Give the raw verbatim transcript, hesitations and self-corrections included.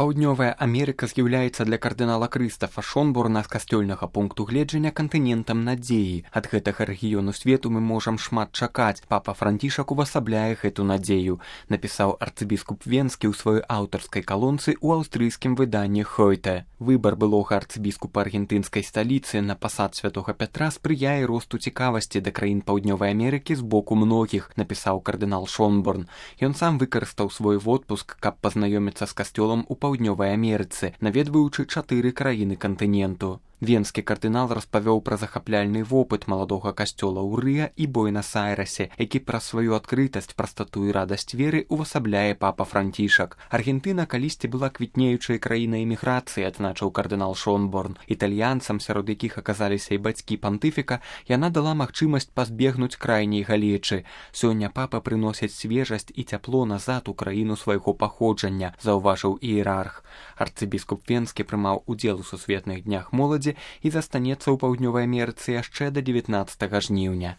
Паўднёвая Амерыка з'яўляецца для кардынала Крыстафа Шонборна з касцёльнага пункту гледжання кантынентам надзеі. Ад гэтага рэгіёну свету мы можам шмат чакаць. Папа Францішак увасабляе гэту надзею, напісаў арцыбіскуп Венскі ў сваёй аўтарскай калонцы ў аўстрыйскім выданні Хойте. Выбар былога арцыбіскупа аргентынскай сталіцы на пасад святога Пятра спрыяе росту цікавасці да краін Паўднёвай Амерыкі з боку многіх, напісаў кардынал Шонборн. Ён сам выкарыстаў свой водпуск, каб пазнаёміцца з касцёлам у Паўднёвай Амерыцы, наведваючы чатыры краіны кантыненту. Венскі кардынал распавёў пра захапляльны вопыт маладога касцёла ў Рыа і Буэнас-Айрэсе, які праз сваю адкрытасць, прастату і радасць веры увасабляе папа Францішак. Аргентына калісьці была квітнеючай краінай эміграцыі, адзначыў кардынал Шонборн. Італьянцам, сярод якіх аказаліся і бацькі пантыфіка, яна дала магчымасць пазбегнуць крайняй галечы. Сёння папа прыносіць свежасць і цяпло назад у краіну свайго паходжання, заўважыў іерарх. Арцыбіскуп Венскі прымаў удзел у сусветных днях моладзі і застанецца ў Паўднёвай Амерыцы яшчэ да дзевятнаццатага жніўня.